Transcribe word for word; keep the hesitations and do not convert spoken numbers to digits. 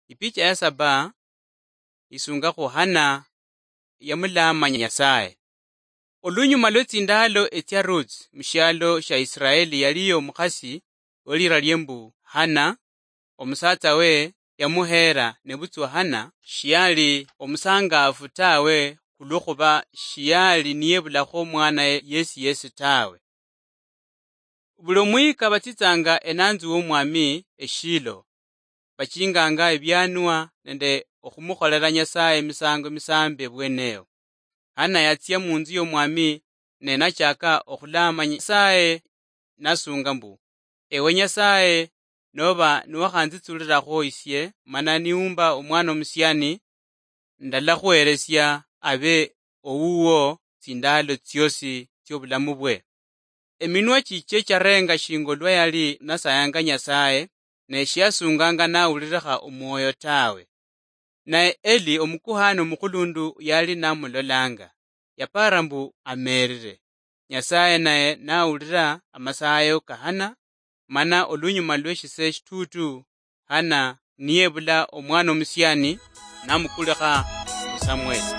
Ipicha ya saba isunga khu Hana yamulaamanya Nyasaye. Olunyuma lwe tsindaalo etsia Ruth mushialo shia Israeli yaliyo omukhasi welira lie mbu Hana, omusatsa we yamuheera, nebutswa Hana shiali omusangaafu tawe, khulwokhuba shiali niyebulakho omwana yesi yesi tawe. Buli omwika batsitsanga enanzu womwami eshilo, bachinganga ebianwa nende okhumukholela Nyasaye emisango emisambi ebweneyo. Hana yatsia munzu yomwami ne nachaka okhulaama Nyasaye nasunga mbu, "Ewe Nyasaye, noba niwakhanzitsulirakho isie mana niumba omwana omusiani, ndalakhuheresia abe owuwo tsindaalo tsiosi tsiobulamu bwe." Eminwa chiche charenga shinga olwa yali nasayanga Nyasaye, ne shiasunganga nawulirekha omwoyo tawe. Naye Eli omukuhani omukhulundu yali namulolanga, yapara mbu amerire. Nyasaye naye nawulira amasayo ka Hana, mana olunyuma lweshise shitutu, Hana niyebula omwana omusiani, namukulikha khu Samueli.